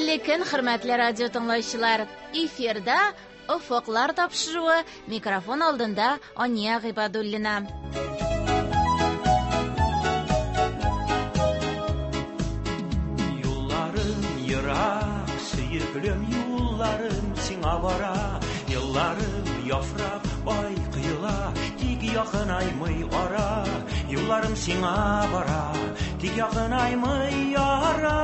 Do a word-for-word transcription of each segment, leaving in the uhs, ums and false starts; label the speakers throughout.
Speaker 1: Хәерле көн, хөрмәтле радио тыңлаучылар. Эфирда Офыклар тапшыруы, микрофон алдында Ания Гыйбадуллина.
Speaker 2: Юлларым ерак, сөеклем юлларым сиңа бара. Елларым яфрак, ай кыела, тик якынаймый ара. Юлларым сиңа бара, тик якынаймый ара.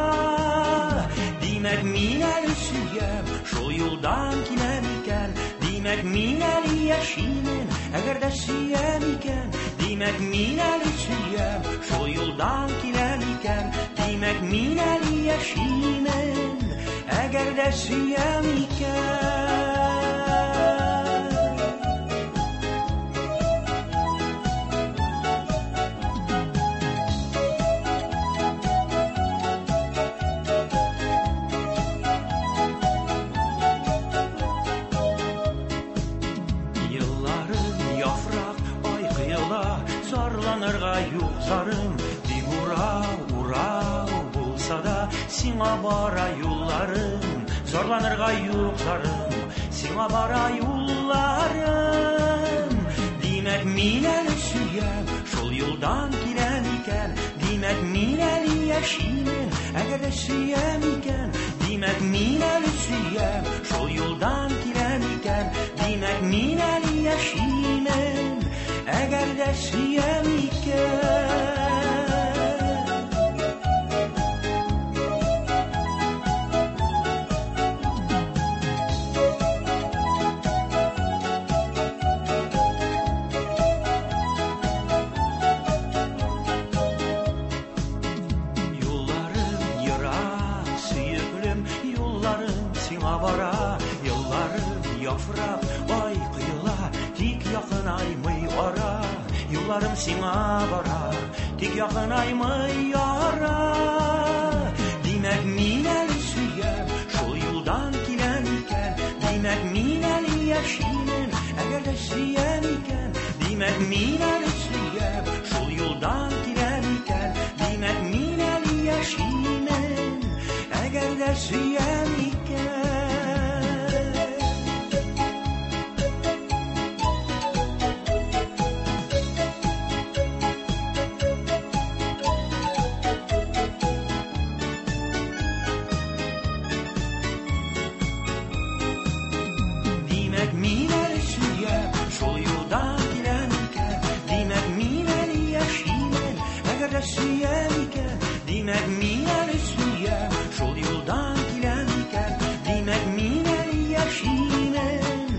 Speaker 2: Димәк, мин әле сөям, шул юлдан киләм икән. Димәк, мин әле яшимен, әгәр дә сөям икән. Димәк, мин әле сөям, шул юлдан киләм икән. Димәк, мин әле яшимен, әгәр дә сөям икән. Zarım, тик урау, урау булса да, сиңа бара юлларым. Зарланырга юк зарым, сиңа бара юлларым. Димәк, мин әле сөям, шул юлдан киләм икән. Димәк, мин әле яшимен, әгәр дә сөям икән. Димәк, мин әле сөям, шул юлдан киләм икән. Димәк, мин әле яшимен, әгәр дә сөям икән. Юлларым ерак, сөеклем, юлларым сиңа бара. Юлларым яфрак, ай кыела, тик якынаймый ара. Юлларым сиңа бара, тик якынаймый ара. Димәк, мин әле сөям, шул юлдан киләм икән. Димәк, мин әле яшимен, әгәр дә сөям икән. Димәк, мин әле сөям, шул юлдан киләм икән. Димәк, мин әле яшимен, әгәр дә сөям икән. Димәк, мин әле сөям, шул юлдан киләм икән. Димәк, мин әле яшимен, әгәр дә сөям икән. Димәк, мин әле сөям, шул юлдан киләм икән. Димәк, мин әле яшимен,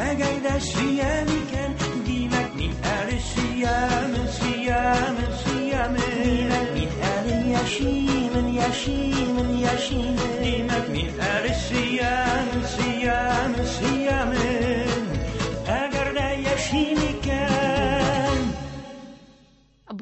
Speaker 2: әгәр дә сөям икән. Димәк, мин әле сөямен, сөямен, сөямен. Димәк, мин әле яшимен, яшимен, яшимен. Димәк, мин әле сөямен, сөямен, сөямен, әгәр дә яшим икән.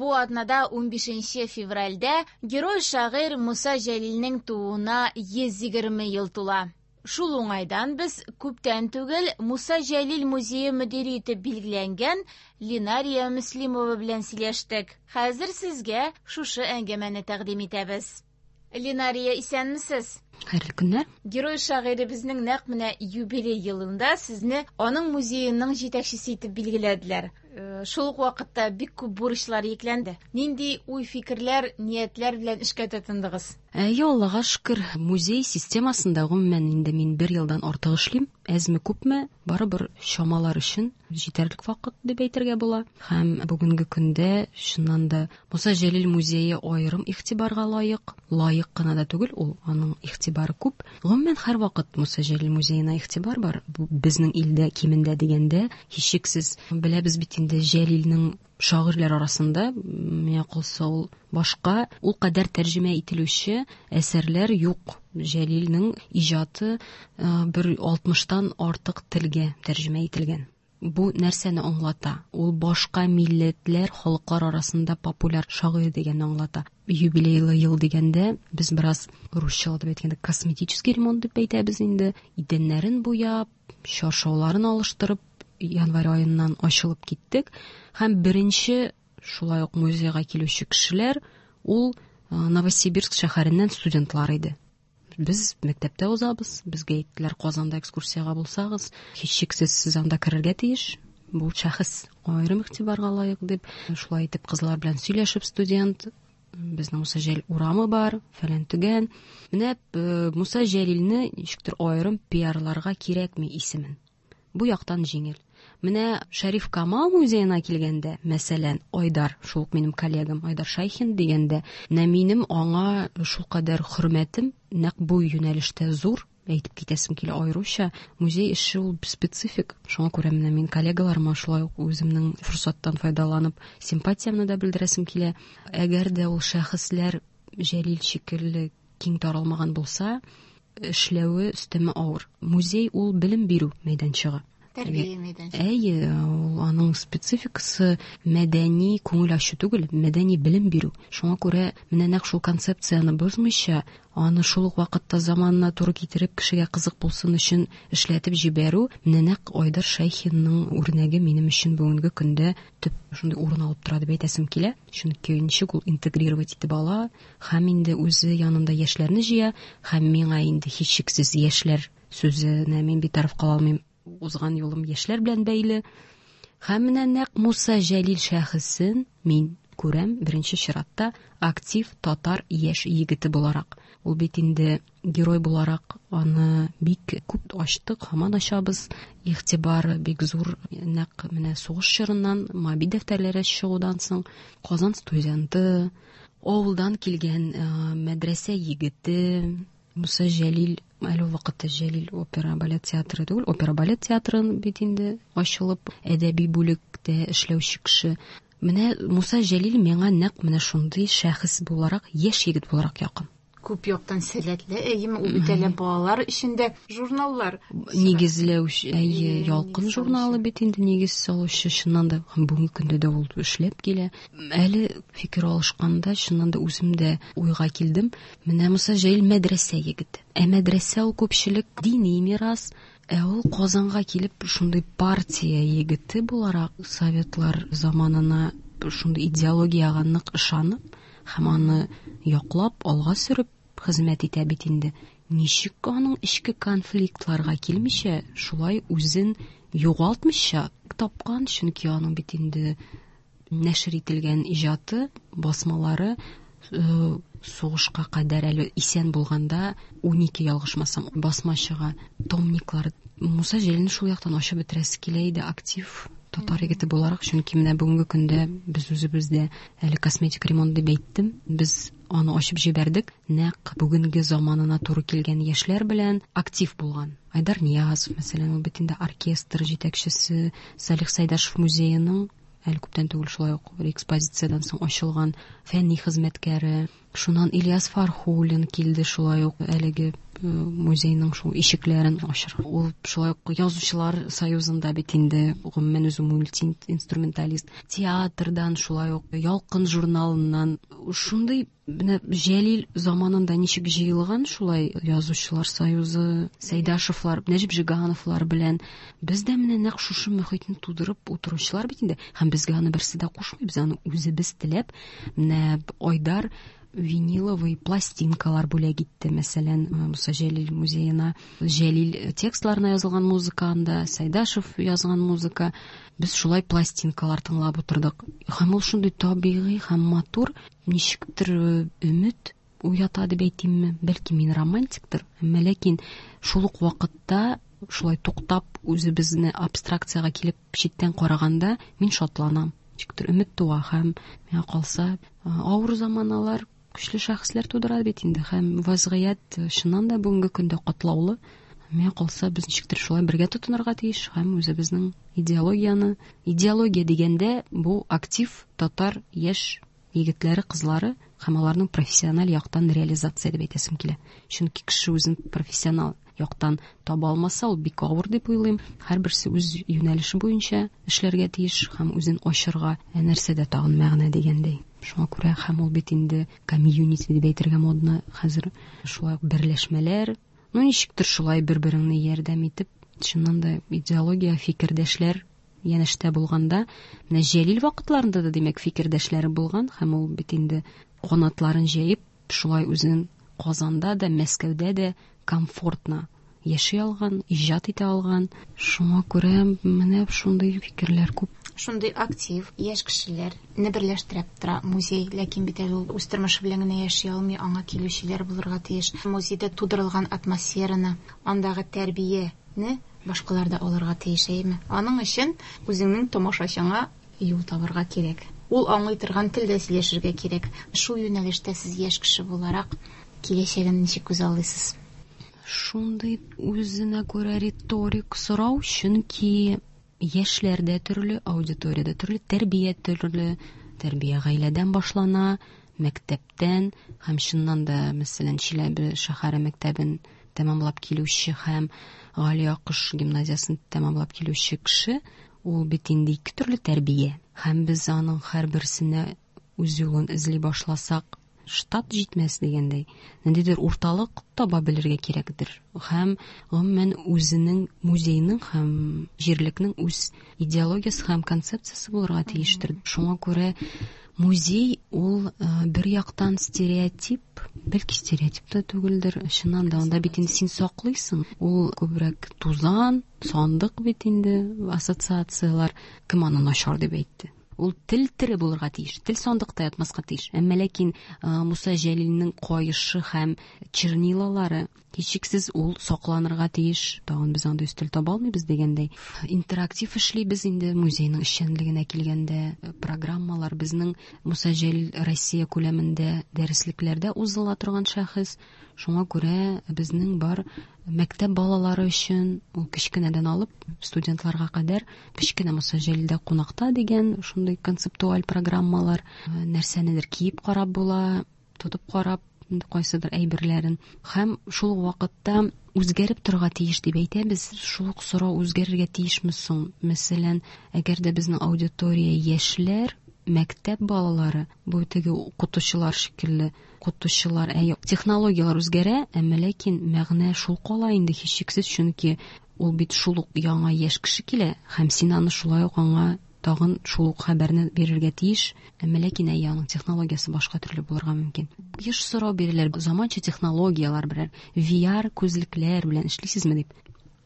Speaker 1: Бу атнада унбишенче февральдә герой шагыйрь Муса Җәлилнең тууына йөз егерме ел тула. Шул уңайдан без күптән түгел Муса Җәлил музее мөдире итеп билгеләнгән Ленария Мөслимова белән сөйләштек. Хәзер сезгә шушы әңгәмәне тәкъдим итәбез. Ленария, исәнмесез?
Speaker 3: Хәерле көннәр.
Speaker 1: Герой шагыйребезнең нәкъ менә юбилей елында сезне аның музееның җитәкчесе итеп билгеләделәр. Э, шул ук вакытта бик күп бурычлар йөкләнде. Нинди уй-фикерләр, ниятләр белән эшкә тотындыгыз?
Speaker 3: Әйе, Аллага шөкер, музей системасында гомумән инде мин бер елдан артык эшлим. Әзме күпме, барыбер чамалар өчен җитәрлек вакыт дип әйтергә була. Һәм бүгенге көндә чыннан да Муса Җәлил музее аерым игътибарга лаек, лаек кына да түгел, ул аның игътибары күп. Гомумән һәрвакыт Муса Җәлил музеена игътибар бар. Бу безнең илдә кимендә дигәндә, һичшиксез беләбез бит инде Җәлилнең шагыйрьләр арасында, миңа калса, ул башка ул кадәр тәрҗемә ителүче әсәрләр юк. Җәлилнең иҗаты, э, бер алтмыштан артык телгә тәрҗемә ителгән. Бу нәрсәне аңлата? Ул башка милләтләр, халыклар арасында популяр шагыйрь дигәнне аңлата. Юбилейлы ел дигәндә без бераз русча дип әйткәндә косметический ремонт дип әйтәбез инде. Идәннәрен буяп, чаршауларын алыштырып, январь аеннан ачылып киттек. Һәм беренче шулай ук музейга килүче кешеләр ул, э, Новосибирск шәһәреннән студентлар иде. Без мәктәптә узабыз, безгә әйттеләр, Казанда экскурсиягә булсагыз, һичшиксез сез анда керергә тиеш. Бу шәхес аерым игътибарга лаек дип, шулай итеп кызлар белән сөйләшеп студент, безнең Муса Җәлил урамы бар, фәлән төгән. Менә Муса Җәлилне ничектер аерым пиарларга кирәкми исемен. Бу яктан җиңел. Менә Шәриф Камал музеена килгәндә, мәсәлән, Айдар, шул ук минем коллегам Айдар Шайхин дигәндә, менә минем аңа шулкадәр хөрмәтем нәкъ бу юнәлештә зур. Әйтеп китәсем килә аеруча. Музей эше ул специфик. Шуңа күрә менә мин коллегаларыма шулай ук үземнең форсаттан файдаланып симпатиямне дә белдерәсем килә. Әгәр дә ул шәхесләр Җәлил шикелле киң таралмаган булса, эшләве өстәмә авыр. Музей ул белем бирү мәйданчыгы.
Speaker 1: Тәрбия мәйданчыгы.
Speaker 3: Әйе, ул аның спецификасы мәдәни күңел ачу түгел, мәдәни белем бирү. Шуңа күрә менә нәкъ шул концепцияне бозмыйча, аны шул ук вакытта заманына туры китереп кешегә кызык булсын өчен эшләтеп җибәрү, менә нәкъ Айдар Шайхинның үрнәге минем өчен бүгенге көндә төп шундый урын алып тора дип әйтәсем килә. Чөнки ничек ул интегрировать итеп ала, һәм инде үзе янында яшьләрне җыя, һәм миңа инде һичшиксез яшьләр сүзенә мин битараф кала алмыйм. Узган юлым яшьләр белән бәйле. Һәм менә нәкъ Муса Җәлил шәхесен мин күрәм беренче чиратта актив татар яшь егете буларак. Ул бит инде герой буларак аны бик күп ачтык, һаман ачабыз. Игътибары бик зур нәкъ менә сугыш чорыннан, Моабит дәфтәрләре чыгудан соң Казан студенты, авылдан килгән мәдрәсә егете Муса Җәлил, әле ул вакытта Җәлил опера балет театры түгел, опера балет театрын бит инде ачылып, әдәби бүлектә эшләүче кеше. Менә Муса Җәлил миңа нәкъ менә шундый шәхес буларак, яшь егет буларак якын.
Speaker 1: Күп яктан сәләтле, әйеме, ул бит әле балалар өчен дә журналлар
Speaker 3: нигезләүче, әйе, Ялкын журналы бит инде нигез салучы, чыннан да һәм бүгенге көндә дә ул эшләп килә. Әле фикер алышканда чыннан да үзем дә уйга килдем. Менә Муса Җәлил мәдрәсә егете. Ә мәдрәсә ул күпчелек дини мирас. Ә ул Казанга килеп шундый партия егете буларак советлар заманына шундый идеологиягә нык ышанып һәм аны яклап алга сөреп хезмәт итә бит инде. Ничек аның эчке конфликтларга килмичә, шулай үзен югалтмыйча тапкан, чөнки аның бит инде нәшер ителгән иҗаты, басмалары сугышка кадәр әле исән булганда унике ялгышмасам басма чыга, томниклар. Муса Җәлилне шул яктан ачып бетерәсе килә иде, актив татар егете буларак, чөнки менә бүгенге көндә без үзебездә әле косметик ремонт дип әйттем, без аны ачып җибәрдек. Нәкъ бүгенге заманына туры килгән яшьләр белән актив булган Айдар Ниязов, мәсәлән, ул бит инде оркестр җитәкчесе, Салих Сайдашев музееның әле күптән түгел шулай ук экспозициядән соң ачылган фәнни хезмәткәре. Шуннан Ильяс Фархуллин килде шулай ук әлеге музейның шул ишекләрен ачырга. Ул шулай ук Язучылар союзында бит инде гомумән үзе мультиинструменталист. Театрдан шулай ук Ялкын журналыннан шундый менә Җәлил заманында ничек җыелган шулай Язучылар союзы, Сәйдашевлар, Нәҗип Жигановлар белән без дә менә нәкъ шушы мөхитне тудырып утыручылар бит инде. Һәм безгә аны берсе дә кушмый, без аны үзебез теләп менә Айдар виниловый пластинкалар бүләк итте, мәсәлән, Муса Җәлил музеена. Җәлил текстларына язылган музыка анда, Сайдашев язган музыка. Без шулай пластинкалар тыңлап утырдык. Һәм ул шундый табигый һәм матур, ничектер өмет уята дип әйтимме? Бәлки мин романтиктыр, әмма ләкин шул ук вакытта шулай туктап үзебезне абстракцияга килеп читтән караганда мин шатланам. Ничектер өмет туа һәм миңа калса авыр заманалар көчле шәхесләр тудыра бит инде, һәм вазгыять чыннан да бүгенге көндә катлаулы. Миңа калса без ничектер шулай бергә тотынырга тиеш һәм үзебезнең идеологияне, идеология дигәндә бу актив татар яшь егетләре, кызлары һәм аларның профессиональ яктан реализация дип әйтәсем килә. Чөнки кеше үзен профессионал яктан таба алмаса, ул бик авыр дип уйлыйм. Һәрберсе үз юнәлеше буенча эшләргә тиеш һәм үзен ачырга, ә нәрсәдә тагын мәгънә дигәндәй. Шуңа күрә һәм ул бит инде комьюнити дип әйтергә модно хәзер, шулай ук берләшмәләр, ну ничектер шулай бер-береңне ярдәм итеп, чыннан да идеология, фикердәшләр янәшә булганда, менә Җәлил вакытларында да димәк фикердәшләре булган, һәм ул бит инде канатларын җәеп, шулай үзен Казанда да, Мәскәүдә дә комфортно яши алган, иҗат итә алган. Шуңа күрә менә шундый фикерләр күп.
Speaker 1: Шундый актив яшь кешеләрне берләштереп тора музей, ләкин бит әле ул үз тормышы белән генә яши алмый, аңа килүчеләр булырга тиеш. Музейда тудырылган атмосфераны, андагы тәрбияне башкалар да алырга тиеш, әйеме? Аның өчен үзеңнең тамашачыңа юл табырга кирәк. Ул аңлый торган телдә сөйләшергә кирәк. Шул юнәлештә сез яшь кеше буларак киләчәген ничек күзаллыйсыз?
Speaker 3: Шундый үзенә күрә риторик сорау, чөнки яшьләр дә төрле, аудитория дә төрле, тәрбия төрле. Тәрбия гаиләдән башлана, мәктәптән һәм чыннан да, мәсәлән, Чиләбе шәһәре мәктәбен тәмамлап килүче һәм Гали Акыш гимназиясын тәмамлап килүче кеше, ул бит инде ике төрле тәрбия. Һәм без аның һәрберсенә үз юлын эзли башласак, штат җитмәс дигәндәй, ниндидер урталык таба белергә кирәкдер. Һәм гомумән үзенең музейның һәм җирлекнең үз идеологиясе һәм концепциясе булырга тиештер. Шуңа күрә музей ул, э, бер яктан стереотип, бәлки стереотип та түгелдер. Чыннан да анда бит инде син саклыйсың. Ул күбрәк тузан, сандык бит инде, ассоциациялар. Кем аны начар дип әйтте? Ул тел тере булырга тиеш, тел сандыкта ятмаска тиеш. Әмма ләкин, э, Муса Җәлилнең каешы һәм чернилалары һичшиксез ул сакланырга тиеш. Тагын без андый өстәл таба алмыйбыз дигәндәй. Интерактив эшлибез инде музейның эшчәнлегенә килгәндә. Программалар безнең Муса Җәлил Россия күләмендә дәреслекләрдә узыла торган шәхес. Шуңа күрә безнең бар мәктәп балалары өчен, ул кечкенәдән алып студентларга кадәр кечкенә Муса Җәлилдә кунакта дигән шундый концептуаль программалар, нәрсәнедер киеп карап була, тотып карап кайсыдыр әйберләрен. Һәм шул ук вакытта үзгәреп торырга тиеш дип әйтәбез. Шул ук сорау үзгәрергә тиешме соң? Мәсәлән, әгәр дә безнең аудитория яшьләр, мәктәп балалары, бу теге укытучылар шикелле, укытучылар, әй, технологияләр үзгәрә, әмма ләкин мәгънә шул кала инде һичшиксез, чөнки ул бит шул ук яңа яшь кеше килә, һәм син аны шулай ук аңа тагын шул ук хәбәрне бирергә тиеш, әмма ләкин әй, аның технологиясе башка төрле булырга мөмкин. Еш сорау бирәләр, заманча технологияләр берәр, Ви Ар күзлекләр белән эшлисезме дип.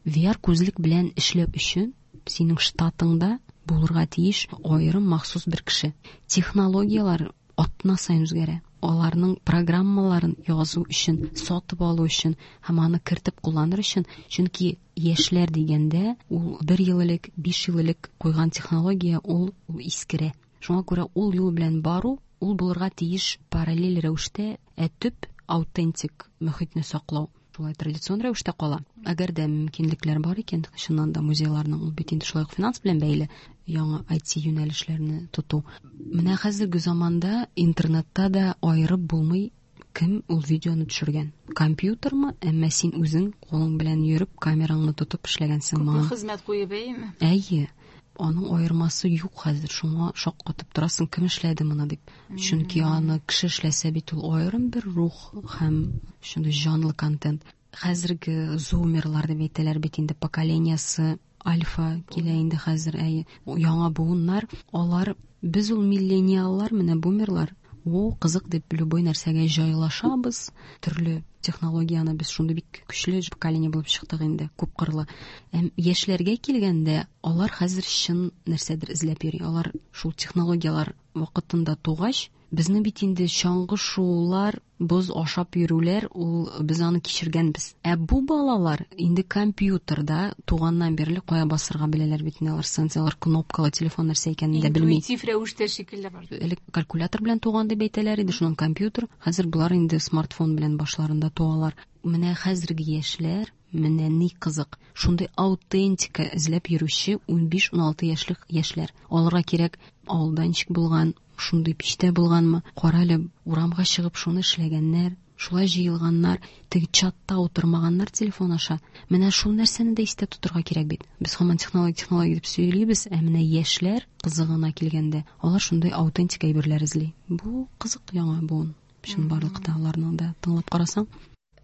Speaker 3: Ви Ар күзлек белән эшләү өчен синең штатыңда булырга тиеш аерым махсус бер кеше. Технологияләр атна саен үзгәрә. Аларның программаларын язу өчен, сатып алу өчен һәм аны кертеп кулланыр өчен, чөнки яшьләр дигәндә ул бер ел элек, биш ел элек куйган технология ул, ул искерә. Шуңа күрә ул юл белән бару, ул булырга тиеш параллель рәвештә, ә төп аутентик мөхитне саклау шулай традицион рәвештә кала. Әгәр дә мөмкинлекләр бар икән, чыннан да музейларның ул бит инде шулай ук финанс белән бәйле яңа ай ти юнәлешләрне тоту. Менә хәзерге заманда интернетта да аерып булмый, кем ул видеоны төшергән. Компьютермы, әмма син үзең кулың белән йөреп, камераңны тотып эшләгәнсең
Speaker 1: Күпме
Speaker 3: моңа.
Speaker 1: хезмәт куеп, әйеме?
Speaker 3: Әйе. Аның аермасы юк хәзер, шуңа шаккатып торасың, кем эшләде моны дип. Чөнки аны кеше эшләсә бит ул аерым бер рух һәм шундый җанлы контент. Хәзерге зумерлар дип әйтәләр бит инде, поколениясе альфа килә инде хәзер, әйе. Яңа буыннар, алар, без ул миллениаллар, менә бумерлар, о, кызык дип любой нәрсәгә җайлашабыз. Төрле технологияне без шундый бик көчле поколение булып чыктык инде, күпкырлы. Әм яшьләргә килгәндә, алар хәзер чын нәрсәдер эзләп йөри. Алар шул технологияләр вакытында тугач, безне бит инде чаңгы шуулар, боз ашап йөрүләр, ул без аны кичергәнбез. Ә бу балалар инде компьютерда туганнан бирле кая басырга беләләр бит инде, алар сенсорлар, кнопкалы телефон нәрсә икәнен дә белми.
Speaker 1: Интуитив рәвештә шикелле бар.
Speaker 3: Элек калькулятор белән туган дип әйтәләр иде, шуннан компьютер. Хәзер болар инде смартфон белән башларында туалар. Менә хәзерге яшьләр, менә ни кызык, шундый аутентика эзләп йөрүче унбиш-уналты яшьлек яшьләр. Аларга кирәк авылда ничек булган, шундый пичтә булганмы, кара әле урамга чыгып шуны эшләгәннәр, шулай җыелганнар, теге чатта утырмаганнар телефон аша. Менә шул нәрсәне дә истә тотырга кирәк бит. Без һаман технология, технология дип сөйлибез, ә менә яшьләр кызыгына килгәндә, алар шундый аутентик әйберләр эзли. Бу кызык яңа буын. Чынбарлыкта аларны да тыңлап карасаң.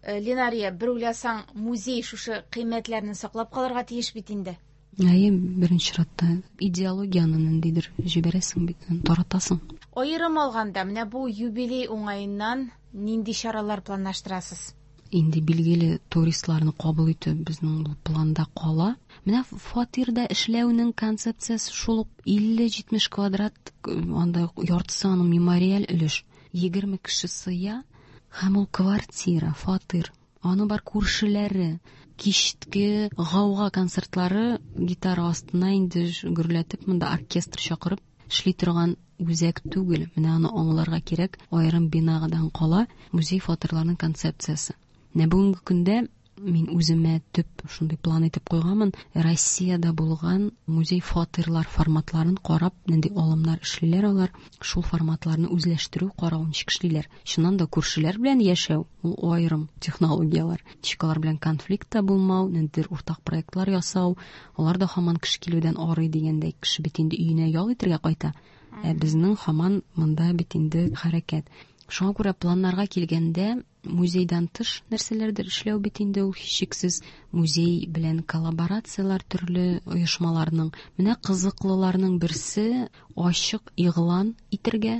Speaker 1: Э, Ленария, бер уйласаң, музей шушы кыйммәтләрне саклап калырга тиеш бит инде.
Speaker 3: Әйе, беренче чиратта идеологияны ниндидер җибәрәсең бит, таратасың.
Speaker 1: Аерым алганда, менә бу юбилей уңаеннан Нинди чаралар планлаштырасыз?
Speaker 3: Инде билгеле туристларны кабул итү безнең бу планда кала. Менә фатирда эшләүнең концепциясе шул ук илле җитмеш квадрат, анда яртысы аның мемориаль өлеш. Егерме кеше сыя һәм ул квартира, фатир. Аның бар күршеләре, кичке гауга концертлары гитара астына инде гөрләтеп монда оркестр чакырып эшли торган үзәк түгел. Менә аны аңларга кирәк, аерым бинадан кала музей фатирларының концепциясе. Менә бүгенге көндә мин үземә төп шундый план итеп куйганмын. Россиядә булган музей фатирлар форматларын карап, нинди алымнар эшлиләр алар, шул форматларны үзләштерү, карау ничек эшлиләр. Чыннан да күршеләр белән яшәү ул аерым технологияләр. Ничек алар белән конфликтта булмау, ниндидер уртак проектлар ясау, алар да һаман кеше килүдән арый дигәндәй, кеше бит инде өенә ял итәргә кайта. Ә безнең һаман монда бит инде хәрәкәт. Шуңа күрә планнарга килгәндә музейдан тыш нәрсәләрдер эшләү бит инде ул һичшиксез музей белән коллаборацияләр төрле оешмаларның. Менә кызыклыларның берсе ачык игълан итәргә,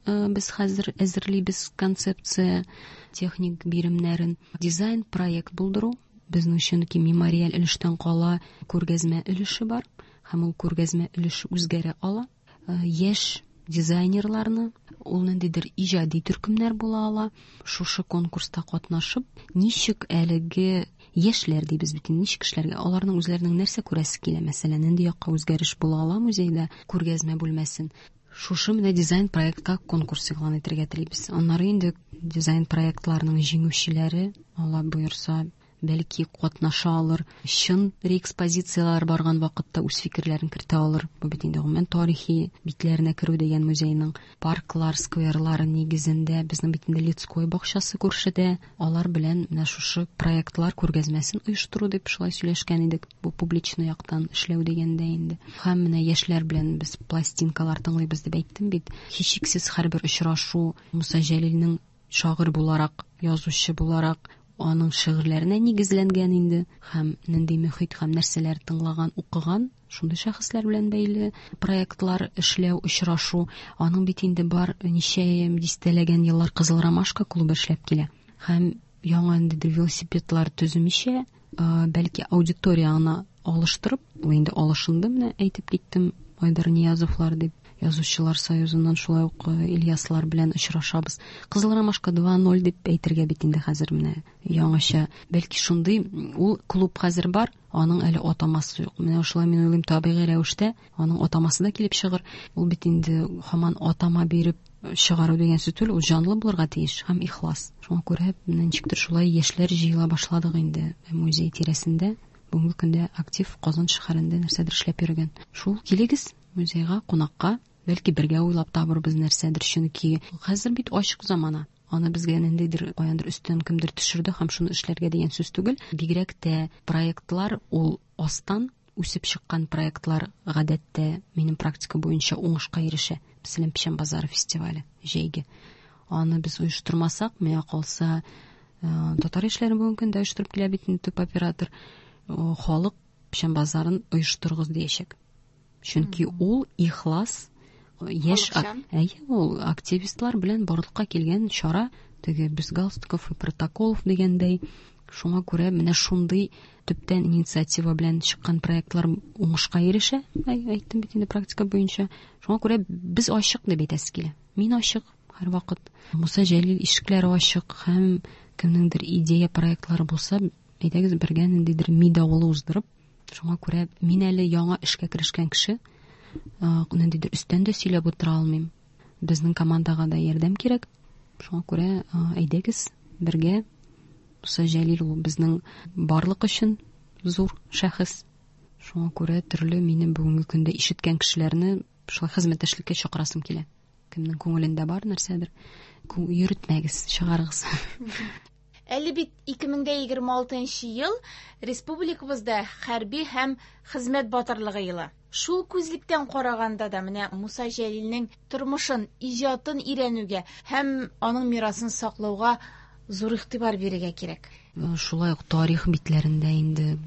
Speaker 3: э, без хәзер әзерлибез концепция, техник биремнәрен, дизайн проект булдыру. Безнең чөнки мемориаль өлештән кала күргәзмә өлеше бар һәм ул күргәзмә өлеше үзгәрә ала. Э, яшь дизайнерларны, ул ниндидер иҗади төркемнәр була ала. Шушы конкурста катнашып, ничек әлеге яшьләр дибез бит инде, ничек кешеләргә, аларның үзләренең нәрсә күрәсе килә, мәсәлән, нинди якка үзгәреш була ала музейда, күргәзмә бүлмәсен. Шушы менә дизайн проектка конкурс игълан итәргә телибез. Аннары инде дизайн проектларының җиңүчеләре, Алла боерса, бәлки катнаша алыр, чын реэкспозицияләр барган вакытта үз фикерләрен кертә алыр. Бу бит инде гомумән тарихи битләренә керү дигән музейның парклар, скверлары нигезендә, безнең бит инде Лицкой бакчасы күршедә, алар белән менә шушы проектлар күргәзмәсен оештыру дип шулай сөйләшкән идек. Бу публичный яктан эшләү дигәндә инде. Һәм менә яшьләр белән без пластинкалар тыңлыйбыз дип әйттем бит. Һичшиксез һәрбер очрашу Муса Җәлилнең шагыйрь буларак, язучы буларак аның шигырьләренә нигезләнгән инде һәм нинди мөхит һәм нәрсәләр тыңлаган, укыган шундый шәхесләр белән бәйле проектлар эшләү, очрашу. Аның бит инде бар ничә дистәләгән еллар Кызыл Ромашка клубы эшләп килә. Һәм яңа ниндидер велосипедлар төземичә, бәлки аудиторияны алыштырып, ул инде алышынды, менә әйтеп киттем, Айдар Ниязовлар дип, Язучылар союзыннан шулай ук Ильяслар белән очрашабыз. Кызыл Ромашка два ноль дип әйтергә бит инде хәзер менә яңача. Бәлки шундый ул клуб хәзер бар, аның әле атамасы юк. Менә шулай мин уйлыйм, табигый рәвештә аның атамасы да килеп чыгыр. Ул бит инде һаман атама биреп чыгару дигән сүз түгел, ул җанлы булырга тиеш һәм ихлас. Шуңа күрә менә ничектер шулай яшьләр җыела башладык инде музей тирәсендә. Бүгенге көндә актив Казан шәһәрендә нәрсәдер эшләп йөргән. Шул килегез музейга кунакка, бәлки бергә уйлап табырбыз нәрсәдер, чөнки хәзер бит ачык замана. Аны безгә ниндидер каяндыр өстән кемдер төшерде һәм шуны эшләргә дигән сүз түгел. Бигрәк тә проектлар ул астан үсеп чыккан проектлар гадәттә минем практика буенча уңышка ирешә. Мәсәлән, Печән базары фестивале җәйге. Аны без оештырмасак, миңа калса, татар яшьләре бүгенге көндә оештырып килә бит инде төп оператор. Халык Печән базарын оештырыгыз диячәк. Чөнки ул ихлас яшь әйе, ул активистлар белән барлыкка килгән чара, теге без галстуков и протоколов дигәндәй. Шуңа күрә менә шундый төптән инициатива белән чыккан проектлар уңышка ирешә, әйттем бит инде практика буенча. Шуңа күрә без ачык дип әйтәсе килә. Мин ачык һәрвакыт. Муса Җәлил ишекләре ачык һәм кемнеңдер идея проектлары булса, әйдәгез бергә ниндидер ми давылы уздырып. Шуңа күрә мин әле яңа эшкә керешкән кеше, ниндидер өстән дә сөйләп утыра алмыйм. Безнең командага да ярдәм кирәк. Шуңа күрә әйдәгез бергә. Муса Җәлил ул безнең барлык өчен зур шәхес. Шуңа күрә төрле минем бүгенге көндә ишеткән кешеләрне шулай хезмәттәшлеккә чакырасым килә. Кемнең күңелендә бар нәрсәдер, йөртмәгез, чыгарыгыз.
Speaker 1: Әле бит ике мең дә егерме алтынчы ел республикабызда хәрби һәм хезмәт батырлыгы елы. Шул күзлектән караганда да менә Муса Җәлилнең тормышын, иҗатын өйрәнүгә һәм аның мирасын саклауга зур игътибар бирергә кирәк.
Speaker 3: Шулай ук тарих битләрендә инде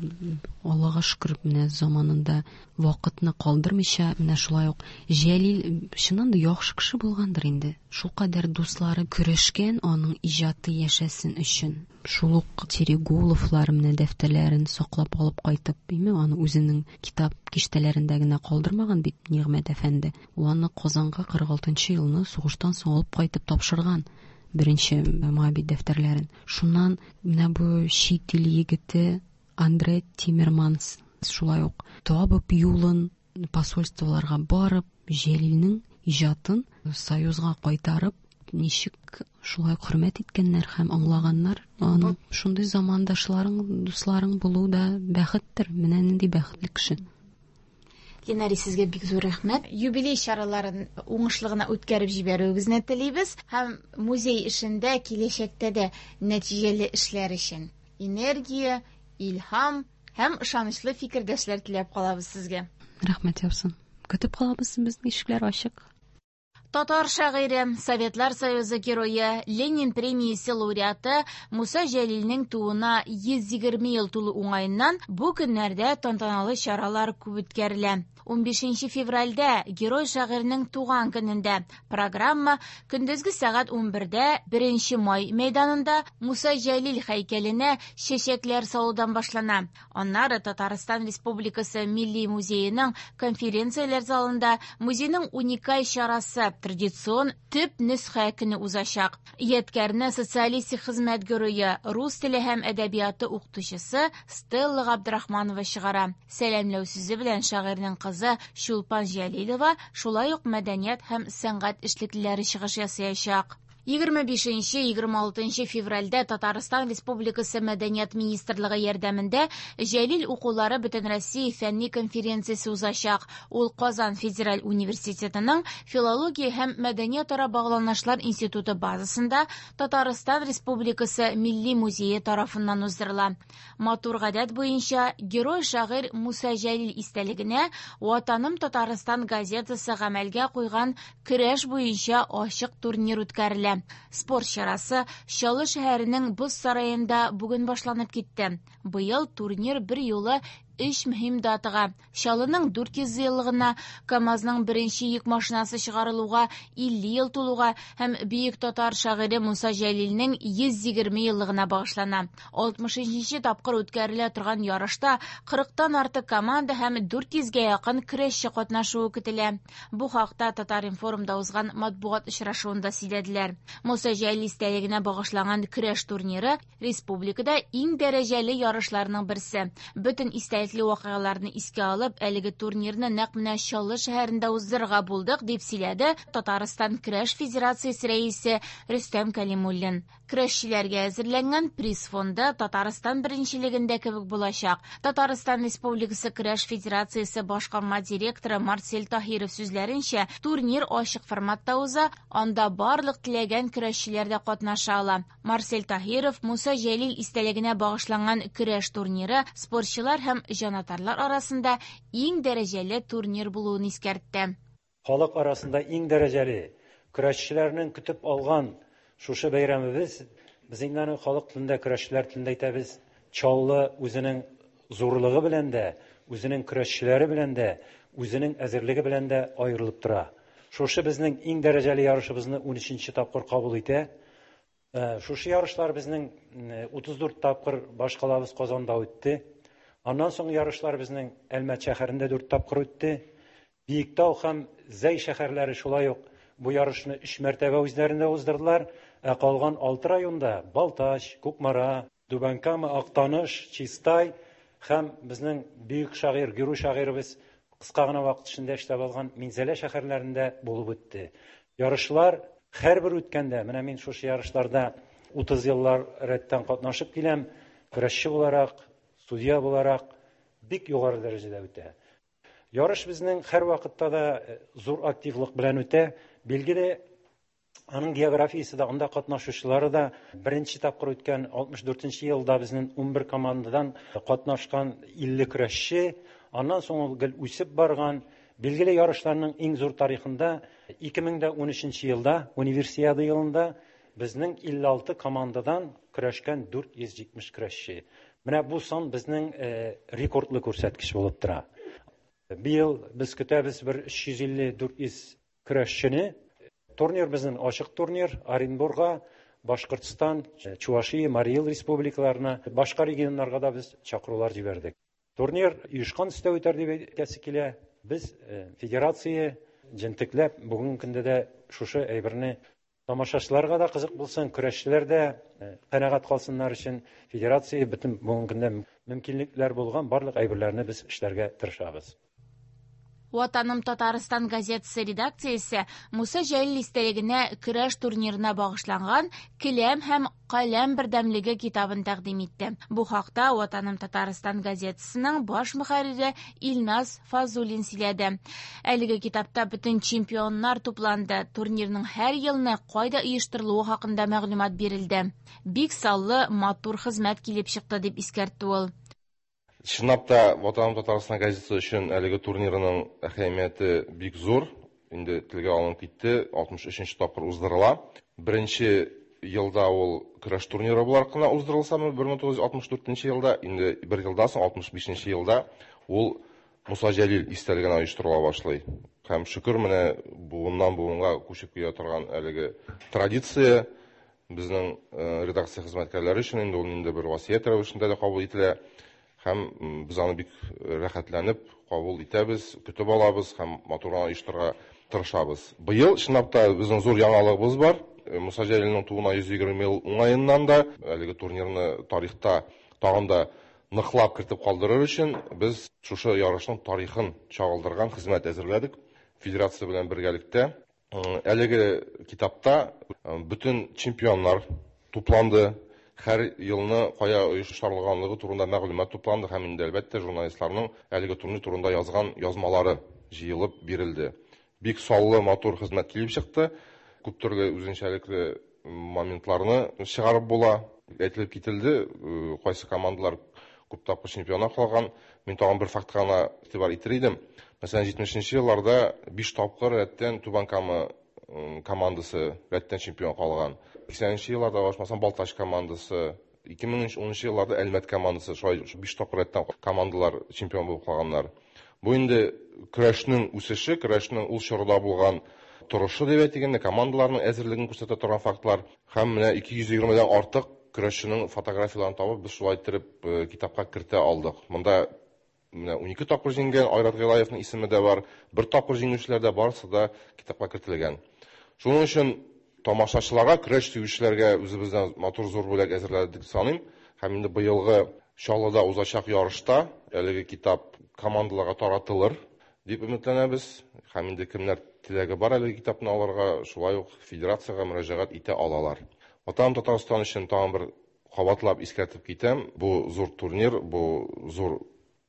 Speaker 3: Аллага шөкер, менә заманында вакытны калдырмыйча, менә шулай ук Җәлил чыннан да яхшы кеше булгандыр инде. Шул кадәр дуслары көрәшкән аның иҗаты яшәсен өчен. Шул ук Терегуловлар менә дәфтәрләрен саклап алып кайтып, име, аны үзенең китап киштәләрендә генә калдырмаган бит Нигъмәт әфәнде. Ул аны Казанга кырык алтынчы елны сугыштан соң алып кайтып тапшырган. Беренче Моабит дәфтәрләрен. Шуннан менә бу чит ил егете Андре Тиммерманс шулай ук табып юлын посольстволарга барып, Җәлилнең иҗатын Союзга кайтарып, ничек шулай хөрмәт иткәннәр һәм аңлаганнар. Аны шундый замандашларың, дусларың булу да бәхеттер. Менә нинди бәхетле кеше.
Speaker 1: Ленари, сезгә бик зур рәхмәт. Юбилей чараларын уңышлы гына үткәреп җибәрүегезне телибез һәм музей эшендә киләчәктә дә нәтиҗәле эшләр өчен энергия, илһам һәм ышанычлы фикердәшләр теләп калабыз сезгә.
Speaker 3: Рәхмәт яусын. Көтеп калабыз, безнең ишекләр ачык.
Speaker 1: Татар шагыйре, Советлар Союзы герое, Ленин премиясе лауреаты Муса Җәлилнең тууына йөз егерме ел тулу уңаеннан бу көннәрдә тантаналы чаралар күп үткәрелә. Унбишенче февральдә герой шагыйрьнең туган көнендә программа көндезге сәгать унбердә беренче май мәйданында Муса Җәлил һәйкәленә чәчәкләр салудан башлана. Аннары Татарстан Республикасы Милли музееның конференцияләр залында музейның уникаль чарасы традицион төп нөсхә көне узачак. Ядкәрне социалистик хезмәт герое, рус теле һәм әдәбияты укытучысы Стелла Габдрахманова чыгара. Сәламләү сүзе белән шагыйрьнең кызы Чулпан Җәлилова, шулай ук мәдәният һәм сәнгать эшлеклеләре чыгыш ясаячак. Егерме бишенче, егерме алтынчы февральдә Татарстан Республикасы Мәдәният министрлыгы ярдәмендә Җәлил укулары Бөтенроссия фәнни конференциясе узачак. Ул Казан федераль университетының Филология һәм мәдәниятара багланышлар институты базасында Татарстан Республикасы Милли музее тарафыннан уздырыла. Матур гадәт буенча герой шагыйрь Муса Җәлил истәлегенә Ватаным Татарстан газетасы гамәлгә куйган көрәш буенча ачык турнир үткәрелә. Спорт чарасы Чаллы шәһәренең Боз сараенда бүген башланып китте. Быел турнир бер юлы өч мөһим датага: Чаллының дүрт йөз еллыгына, КАМАЗның беренче йөк машинасы чыгарылуга илле ел тулуга һәм бөек татар шагыйре Муса Җәлилнең йөз егерме еллыгына багышлана. Алтмышынчы тапкыр үткәрелә торган ярышта кырыктан артык команда һәм дүрт йөзгә якын көрәшче катнашуы көтелә. Бу хакта Татар-информда узган матбугат очрашуында сөйләделәр. Муса Җәлил истәлегенә багышланган көрәш турниры республикада иң дәрәҗәле ярышларның берсе. Бөтен истәлек вакыйгаларны искә алып, әлеге турнирны нәкъ менә Чаллы шәһәрендә уздырырга булдык, дип сөйләде Татарстан Көрәш Федерациясе рәисе Рөстәм Кәлимуллин. Көрәшчеләргә әзерләнгән приз фонды Татарстан беренчелегендә кебек булачак. Татарстан Республикасы Көрәш Федерациясе башкарма директоры Марсель Таһиров сүзләренчә, турнир ачык форматта уза, анда барлык теләгән көрәшчеләр дә катнаша ала. Марсель Таһиров Муса Җәлил истәлегенә багышланган көрәш турниры спортчылар һәм җанатарлар арасында иң дәрәҗәле турнир булуын искәртте.
Speaker 4: Халык арасында иң дәрәҗәле көрәшчеләрнең көтеп алган шушы бәйрәмебез, без инде аны халык телендә, көрәшчеләр телендә әйтәбез, Чаллы үзенең зурлыгы белән дә, үзенең көрәшчеләре белән дә, үзенең әзерлеге белән дә аерылып тора. Шушы безнең иң дәрәҗәле ярышыбызны унөченче тапкыр кабул итә. Шушы ярышлар безнең утыз дүрт тапкыр башкалабыз Казанда үтте. Аннан соң ярышлар безнең Әлмәт шәһәрендә дүрт тапкыр үтте. Биектау һәм Зәй шәһәрләре шулай ук бу ярышны өч мәртәбә үзләрендә уздырдылар. Ә калган алты районда Балтач, Кукмара, Түбән Кама, Актаныш, Чистай һәм безнең бөек шагыйрь, герой шагыйребез кыска гына вакыт эчендә эшләп алган Минзәлә шәһәрләрендә булып үтте. Ярышлар һәрбер үткәндә, менә мин шушы ярышларда утыз еллар рәттән катнашып киләм, көрәшче буларак, судья буларак бик югары дәрәҗәдә үтә. Ярыш безнең һәр вакытта да зур активлык белән үтә. Билгеле, аның географиясе дә, анда катнашучылары да беренче тапкыр үткән алтмыш дүртенче елда безнең унбер командадан катнашкан илле көрәшче, аннан соң ул гел үсеп барган. Билгеле, ярышларның иң зур тарихында ике мең дә унөченче елда, Универсиада елында Безнең илле алты командадан көрәшкән дүрт йөз җитмеш көрәшче. Менә бу сан безнең рекордлы күрсәткеч булып тора. Быел без көтәбез бер өч йөз илле дүрт йөз көрәшчене. Турнир безнең ачык турнир. Оренбурга, Башкортстан, Чувашия, Марий Эл республикаларына, башка регионнарга да без чакырулар җибәрдек. Турнир оешкан төстә үтәр дип әйтәсе килә. Без федерация җентекләп бүгенге көндә дә шушы әйберне тамашачыларга да кызык булсын, көрәшчеләр дә канәгать калсыннар өчен федерация бөтен бүгенге көндә мөмкинлекләр булган барлык әйберләрне без эшләргә тырышабыз.
Speaker 1: Ватаным Татарстан газетасы редакциясе Муса Җәлил истәлегенә көрәш турнирына багышланган Келәм һәм Каләм бердәмлеге китабын тәкъдим итте. Бу хакта Ватаным Татарстан газетасының баш мөхәррире Илназ Фазуллин сөйләде. Әлеге китапта бөтен чемпионнар тупланды. Турнирның һәр елны кайда оештырылуы хакында мәгълүмат бирелде. Бик саллы матур хезмәт килеп чыкты дип искәртте ул.
Speaker 5: Чынлап та Ватаным Татарстан газетасы өчен әлеге турнирының әһәмияте бик зур. Инде телгә алынып китте, алтмыш өченче тапкыр уздырыла. Беренче елда ул көрәш турниры буларак кына уздырылса, бер мең тугыз йөз алтмыш дүртенче елда, инде бер елдан соң алтмыш бишенче елда ул Муса Җәлил истәлегенә оештырыла башлый. Һәм шөкер, менә буыннан буынга күчеп килә торган әлеге традиция безнең редакция хезмәткәрләре өчен инде ул инде бер васыять рәвешендә дә кабул ителә. Һәм без аны бик рәхәтләнеп кабул итәбез, көтеп алабыз һәм матур гына оештырырга тырышабыз. Быел чынлап та безнең зур яңалыгыбыз бар. Муса Җәлилнең тууына йөз егерме ел уңаеннан да әлеге турнирны тарихта тагын да ныклап кертеп калдырыр өчен без шушы ярышның тарихын чагылдырган хезмәт әзерләдек федерация белән бергәлектә. Әлеге китапта бөтен чемпионнар тупланды. Һәр елны кая оештырылганлыгы турында мәгълүмат тупланды һәм инде әлбәттә журналистларның әлеге турнир турында язган язмалары җыелып бирелде. Бик саллы матур хезмәт килеп чыкты. Күп төрле үзенчәлекле моментларны чыгарып була. Әйтелеп кителде, кайсы командалар күп тапкыр чемпионга калган. Мин тагын бер фактка гына игътибар итер идем. Мәсәлән, җитмешенче елларда биш тапкыр рәттән Түбән Кама командасы рәттән чемпион калган. Сиксәненче елларда башмасам Балтач командасы, ике мең унынчы елларда Әлмәт командасы, шулай биш тапкыр рәттән командалар чемпион булып калганнар. Бу инде көрәшнең үсеше, көрәшнең ул чорда булган торышы дип әйтик инде, командаларның әзерлеген күрсәтә торган фактлар. Һәм менә ике йөз егермедән артык көрәшченең фотографияларын табып, без шулай иттереп китапка кертә алдык. Монда менә унике тапкыр җиңгән Айрат Гыйлаевның исеме дә бар, бер тапкыр җиңүчеләр дә барысы да китапка кертелгән. Шуның өчен тамашачыларга, көрәш сөючеләргә үзебездән матур зур бүләк әзерләдек дип саныйм. Һәм инде быелгы Чаллыда узачак ярышта әлеге китап командаларга таратылыр дип өметләнәбез. Һәм инде кемнәр теләге бар әлеге китапны алырга, шулай ук федерациягә мөрәҗәгать итә алалар. Ватаным Татарстан өчен тагын бер кабатлап искәртеп китәм. Бу зур турнир, бу зур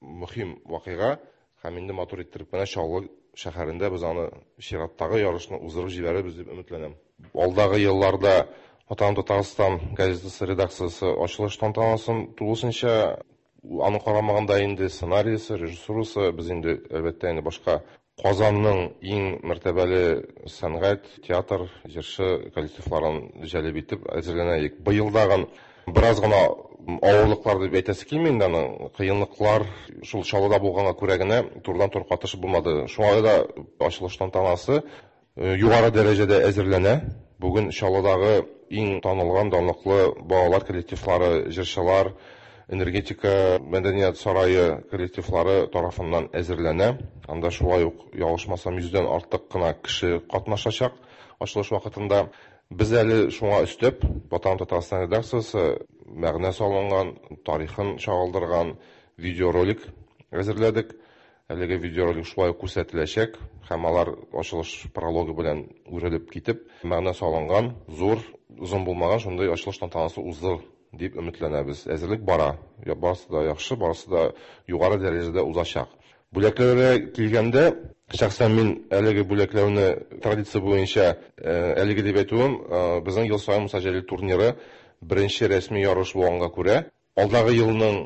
Speaker 5: мөһим вакыйга. Һәм инде матур иттереп менә Чаллы шәһәрендә без аны чираттагы ярышны уздырып җибәрербез дип өметләнәм. Алдагы елларда Ватаным Татарстан газетасы редакциясе ачылыш тантанасын тулысынча аны карамаганда инде сценарийсы, режиссурасы, без инде әлбәттә инде башка Казанның иң мәртәбәле сәнгать, театр, җырчы коллективларын җәлеп итеп әзерләнә идек. Быелдагы бераз гына авырлыклар дип әйтәсе килми инде, аның кыенлыклар шул Чаллыда булганга күрә генә турыдан-туры катышып булмады. Шуңа да ачылыш тантанасы югары дәрәҗәдә әзерләнә. Бүген Чаллыдагы иң танылган, данлыклы балалар коллективлары, җырчылар, энергетика мәдәният сарае коллективлары тарафыннан әзерләнә. Анда шулай ук ялгышмасам йөздән артык кына кеше катнашачак ачылыш вакытында. Без әле шуңа өстәп, Ватаным Татарстан редакциясе мәгънә салынган, тарихын чагылдырган видеоролик әзерләдек. Әлеге видеоролик шулай ук күрсәтеләчәк һәм алар ачылыш прологы белән үрелеп китеп, мәгънә салынган, зур, озын булмаган шундый ачылыш тантанасы уздыр дип өметләнәбез. Әзерлек бара. Барысы да яхшы, барысы да югары дәрәҗәдә узачак. Бүләкләргә килгәндә, шәхсән мин әлеге бүләкләүне традиция буенча, әлеге дип әйтүем, безнең ел саен Муса Җәлил турниры беренче рәсми ярыш булганга күрә, алдагы елның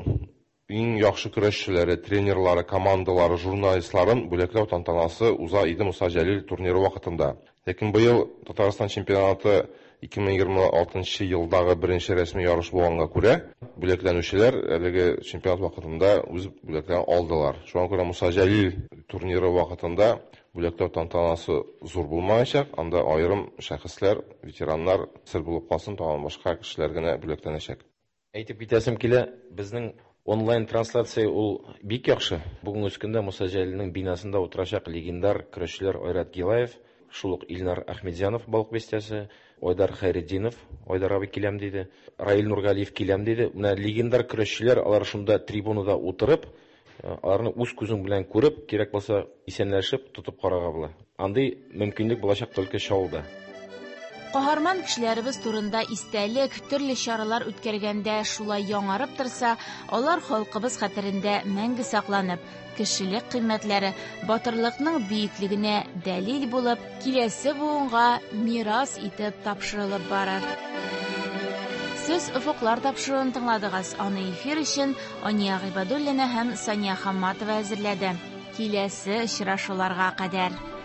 Speaker 5: иң яхшы көрәшчеләре, тренерлары, командалары, журналистларын бүләкләү тантанасы уза иде Муса Җәлил турниры вакытында. Ләкин быел Татарстан чемпионаты ике мең егерме алтынчы елдагы беренче рәсми ярыш булганга күрә, бүләкләнүчеләр әлеге чемпионат вакытында үз бүләкләрен алдылар. Шуңа күрә Муса Җәлил турниры вакытында бүләкләү тантанасы зур булмаячак, анда аерым шәхесләр, ветераннар сер булып калсын, тагын башка кешеләр генә бүләкләнәчәк.
Speaker 6: Әйтеп китәсем килә, безнең онлайн трансляция ул бик яхшы. Бүгенге көндә Муса Җәлилнең бинасында утырачак легендар көрәшчеләр Айрат Гилаев, шул ук Илнар Ахмедзянов Балык Бистәсе, Айдар Хайретдинов, Айдар абый киләм диде, Раил Нургалиев киләм диде. Менә легендар көрәшчеләр алар шунда трибунада утырып, аларны үз күзең белән күреп, кирәк булса исәнләшеп, тотып карарга була. Андый мөмкинлек булачак только Чаллыда.
Speaker 1: Каһарман кешеләребез турында истәлек, төрле чаралар үткәргәндә шулай яңарып торса, алар халкыбыз хәтерендә мәңге сакланып, кешелек кыйммәтләре, батырлыкның бөеклегенә дәлил булып, киләсе буынга мирас итеп тапшырылып барыр. Сез Офыклар тапшыруын тыңладыгыз. Аны эфир өчен Ания Гыйбадуллина һәм Сания Хамматова әзерләде. Киләсе очрашуларга кадәр.